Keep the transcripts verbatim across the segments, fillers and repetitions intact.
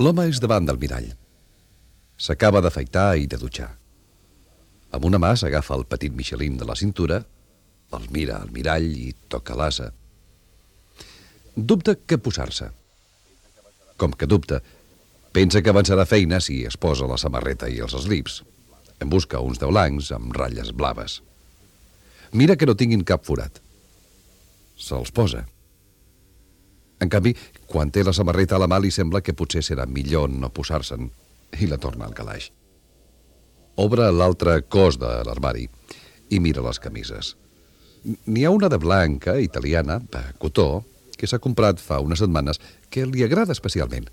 L'home és davant del mirall. S'acaba d'afaitar i de dutxar. Amb una mà s'agafa el petit Michelin de la cintura, el mira al mirall i toca l'asa. Dubta què posar-se. Com que dubta, pensa que avançarà feina si es posa la samarreta i els slips. En busca uns de blancs amb ratlles blaves. Mira que no tinguin cap forat. Se'ls posa. En canvi, quan té la samarreta a la mà li sembla que potser serà millor no posar-se'n i la torna al calaix. Obre l'altre cos de l'armari i mira les camises. N'hi ha una de blanca, italiana, de cotó, que s'ha comprat fa unes setmanes, que li agrada especialment.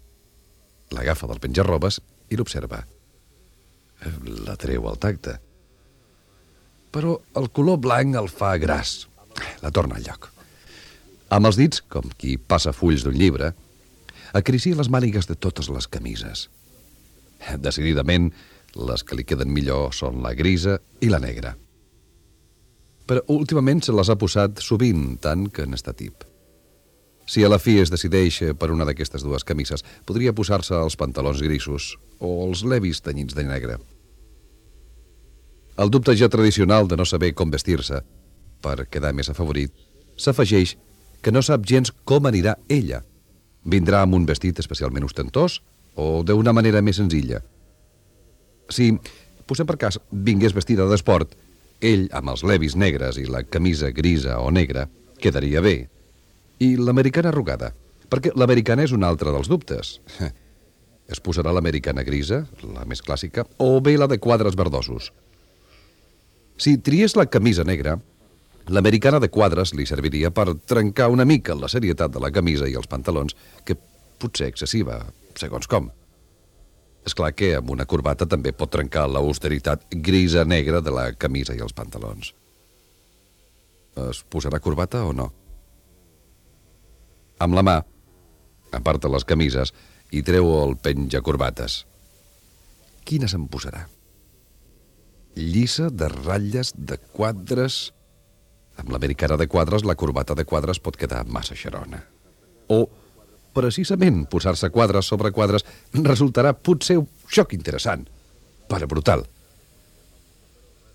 L'agafa del penjarrobes i l'observa. La treu al tacte. Però el color blanc el fa gras. La torna al lloc. Amb els dits, com qui passa fulls d'un llibre, acaricia les mànigues de totes les camises. Decididament, les que li queden millor són la grisa i la negra. Però últimament se les ha posat sovint, tant que n'està tip. Si a la fi es decideix per una d'aquestes dues camises, podria posar-se els pantalons grisos o els levis tenyits de negre. El dubte ja tradicional de no saber com vestir-se, per quedar més afavorit, s'afegeix que no sap gens com anirà ella. Vindrà amb un vestit especialment ostentós o d'una manera més senzilla. Si, posem per cas, vingués vestida d'esport, ell, amb els levis negres i la camisa grisa o negra, quedaria bé. I l'americana arrugada, perquè l'americana és un altre dels dubtes. Es posarà l'americana grisa, la més clàssica, o bé la de quadres verdosos. Si triés la camisa negra, l'americana de quadres li serviria per trencar una mica la serietat de la camisa i els pantalons, que potser excessiva, segons com. És clar que amb una corbata també pot trencar l'austeritat grisa-negra de la camisa i els pantalons. Es posarà corbata o no? Amb la mà, aparta les camises i treu el penjacorbates. Quina se'n posarà? Llisa, de ratlles, de quadres... Amb l'americana de quadres, la corbata de quadres pot quedar massa xerona. O, precisament, posar-se quadres sobre quadres resultarà potser un xoc interessant, però brutal.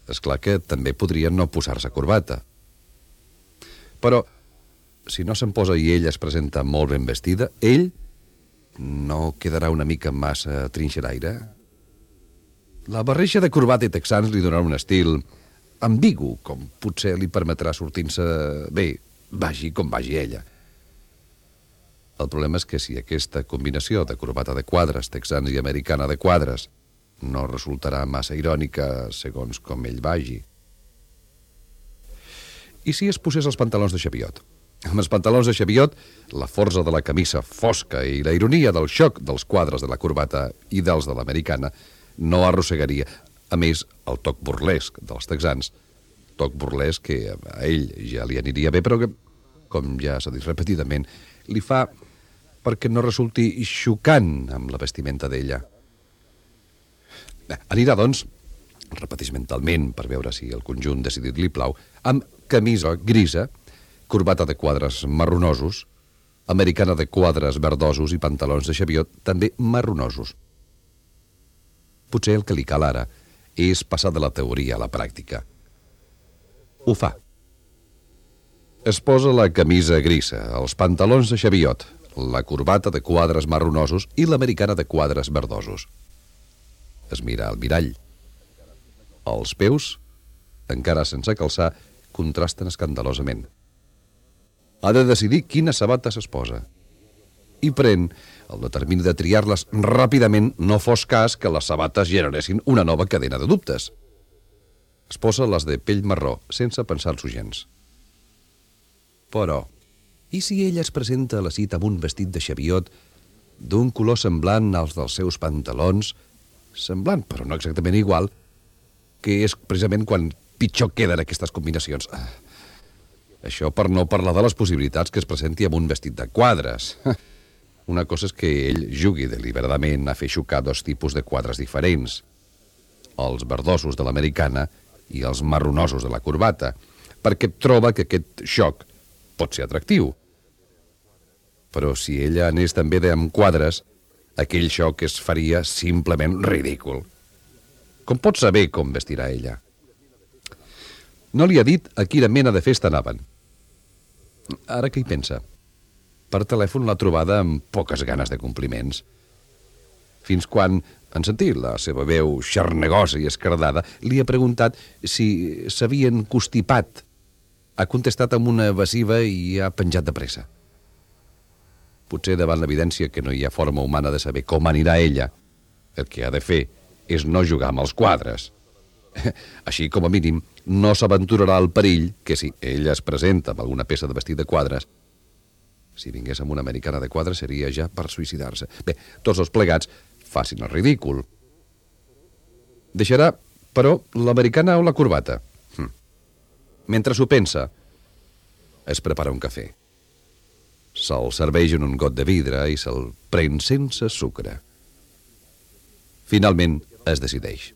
És clar que també podria no posar-se corbata. Però, si no se'n posa i ella es presenta molt ben vestida, ell no quedarà una mica massa trinxeraire? La barreja de corbata i texans li donarà un estil ambigu, com potser li permetrà sortir-se bé, vagi com vagi ella. El problema és que si aquesta combinació de corbata de quadres, texans i americana de quadres no resultarà massa irònica segons com ell vagi. I si es posés els pantalons de xaviot? Amb els pantalons de xaviot, la força de la camisa fosca i la ironia del xoc dels quadres de la corbata i dels de l'americana no arrossegaria. A més, el toc burlesc dels texans, toc burlesc que a ell ja li aniria bé, però que, com ja s'ha dit repetidament, li fa perquè no resulti xocant amb la vestimenta d'ella. Anirà, doncs, repeteix mentalment per veure si el conjunt decidit li plau, amb camisa grisa, corbata de quadres marronosos, americana de quadres verdosos i pantalons de xaviot també marronosos. Potser el que li cal ara és passar de la teoria a la pràctica. Ho fa. Es posa la camisa grisa, els pantalons de xaviot, la corbata de quadres marronosos i l'americana de quadres verdosos. Es mira al mirall. Els peus, encara sense calçar, contrasten escandalosament. Ha de decidir quines sabates es posa. I pren el determini de triar-les ràpidament, no fos cas que les sabates generessin una nova cadena de dubtes. Es posa les de pell marró, sense pensar-s'ho gens. Però, i si ella es presenta a la cita amb un vestit de xaviot d'un color semblant als dels seus pantalons, semblant però no exactament igual, que és precisament quan pitjor queden aquestes combinacions. Això per no parlar de les possibilitats que es presenti amb un vestit de quadres. Una cosa és que ell jugui deliberadament a fer xocar dos tipus de quadres diferents, els verdosos de l'americana i els marronosos de la corbata, perquè troba que aquest xoc pot ser atractiu. Però si ella anés també amb quadres, aquell xoc es faria simplement ridícul. Com pot saber com vestirà ella? No li ha dit a quina mena de festa anaven. Ara què hi pensa? Per telèfon l'ha trobada amb poques ganes de compliments. Fins quan, en sentir la seva veu xarnegosa i escardada, li ha preguntat si s'havien constipat. Ha contestat amb una evasiva i ha penjat de pressa. Potser davant l'evidència que no hi ha forma humana de saber com anirà ella, el que ha de fer és no jugar amb els quadres. Així, com a mínim, no s'aventurarà al perill que si ella es presenta amb alguna peça de vestit de quadres, si vingués amb una americana de quadres seria ja per suïcidar-se. Bé, tots els plegats facin el ridícul. Deixarà, però, l'americana o la corbata? Hm. Mentre s'ho pensa, es prepara un cafè. Se'l serveix en un got de vidre i se'l pren sense sucre. Finalment, es decideix.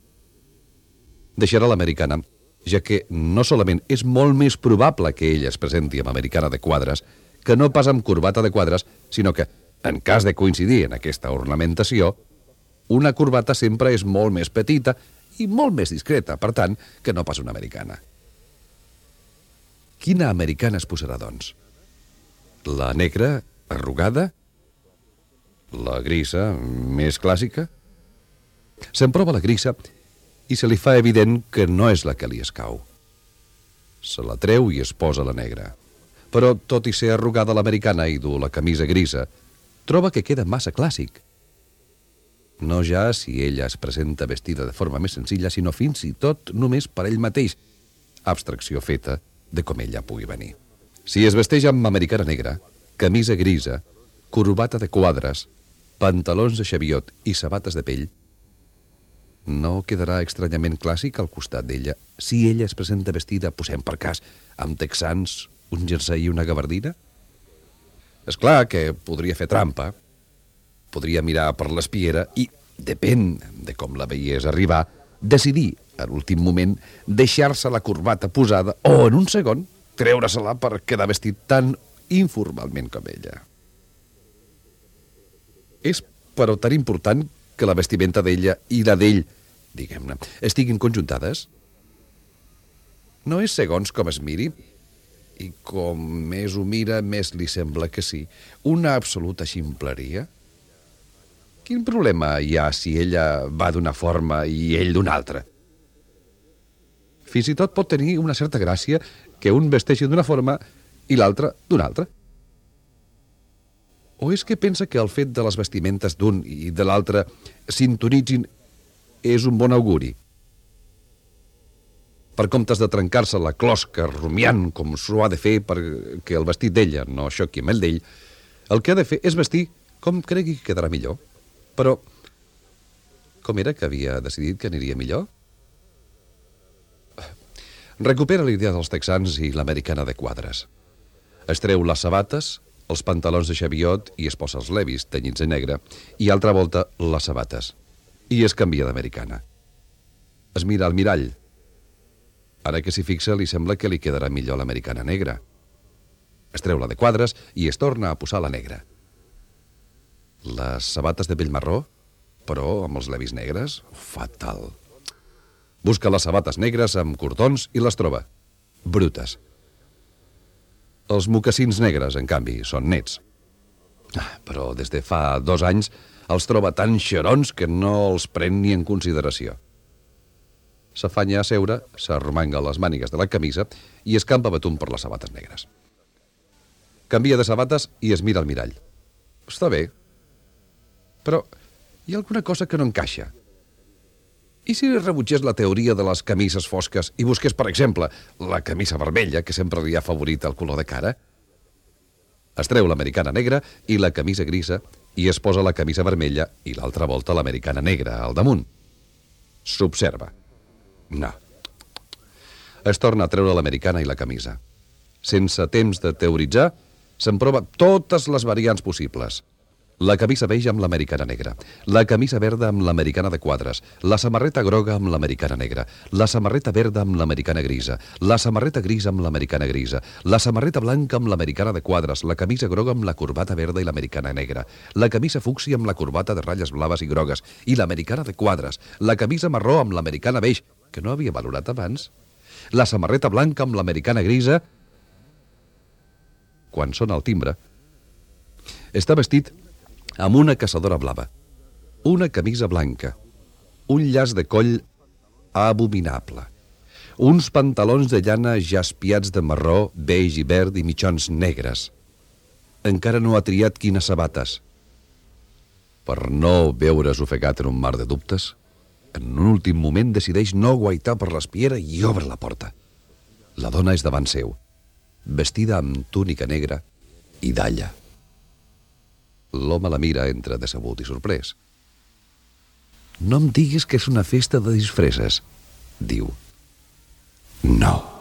Deixarà l'americana, ja que no solament és molt més probable que ella es presenti amb americana de quadres que no pas amb corbata de quadres, sinó que, en cas de coincidir en aquesta ornamentació, una corbata sempre és molt més petita i molt més discreta, per tant, que no pas una americana. Quina americana es posarà, doncs? La negra, arrugada? La grisa, més clàssica? Se'n prova la grisa i se li fa evident que no és la que li escau. Se la treu i es posa la negra. Però, tot i ser arrugada l'americana i dur la camisa grisa, troba que queda massa clàssic. No ja si ella es presenta vestida de forma més senzilla, sinó fins i tot només per ell mateix, abstracció feta de com ella pugui venir. Si es vesteix amb americana negra, camisa grisa, corbata de quadres, pantalons de xaviot i sabates de pell, no quedarà estranyament clàssic al costat d'ella si ella es presenta vestida, posem per cas, amb texans, un jersei i una gabardina? És clar que podria fer trampa, podria mirar per l'espiera i, depèn de com la veiés arribar, decidir, a l'últim moment, deixar-se la corbata posada o, en un segon, treure-se-la per quedar vestit tan informalment com ella. És, però, tan important que la vestimenta d'ella i la d'ell, diguem-ne, estiguin conjuntades? No és segons com es miri, i com més ho mira, més li sembla que sí, una absoluta ximpleria? Quin problema hi ha si ella va d'una forma i ell d'una altra? Fins i tot pot tenir una certa gràcia que un vesteixi d'una forma i l'altre d'una altra. O és que pensa que el fet de les vestimentes d'un i de l'altre sintonitzin és un bon auguri? Per comptes de trencar-se la closca rumiant com s'ho ha de fer perquè el vestit d'ella no xoqui amb el d'ell, el que ha de fer és vestir com cregui que quedarà millor. Però, com era que havia decidit que aniria millor? Recupera l'idea dels texans i l'americana de quadres. Es treu les sabates, els pantalons de xaviot i es posa els levis tenyits de negre i altra volta les sabates. I es canvia d'americana. Es mira al mirall. Ara que s'hi fixa li sembla que li quedarà millor l'americana negra. Es treu la de quadres i es torna a posar la negra. Les sabates de pell marró, però amb els levis negres, fatal. Busca les sabates negres amb cordons i les troba. Brutes. Els mocassins negres, en canvi, són nets. Ah, però des de fa dos anys els troba tan xerons que no els pren ni en consideració. S'afanya a seure, s'arromanga les mànigues de la camisa i escampa betum per les sabates negres. Canvia de sabates i es mira al mirall. Està bé, però hi ha alguna cosa que no encaixa. I si rebutgés la teoria de les camises fosques i busqués, per exemple, la camisa vermella, que sempre li ha favorit el color de cara? Es treu l'americana negra i la camisa grisa i es posa la camisa vermella i l'altra volta l'americana negra al damunt. S'observa. No. Es torna a treure l'americana i la camisa. Sense temps de teoritzar, se'n prova totes les variants possibles. La camisa beix amb l'americana negra, la camisa verda amb l'americana de quadres, la samarreta groga amb l'americana negra, la samarreta verda amb l'americana grisa, la samarreta grisa amb l'americana grisa, la samarreta blanca amb l'americana de quadres, la camisa groga amb la corbata verda i l'americana negra, la camisa fúcsia amb la corbata de ratlles blaves i grogues i l'americana de quadres, la camisa marró amb l'americana beix, que no havia valorat abans, la samarreta blanca amb l'americana grisa. Quan sona el timbre, està vestit amb una caçadora blava, una camisa blanca, un llaç de coll abominable, uns pantalons de llana jaspiats de marró, beix i verd i mitjons negres. Encara no ha triat quines sabates. Per no veure's ofegat en un mar de dubtes, en un últim moment decideix no guaitar per l'espiera i obre la porta. La dona és davant seu, vestida amb túnica negra i dalla. L'home la mira entre decebut i sorprès. «No em diguis que és una festa de disfresses», diu. «No».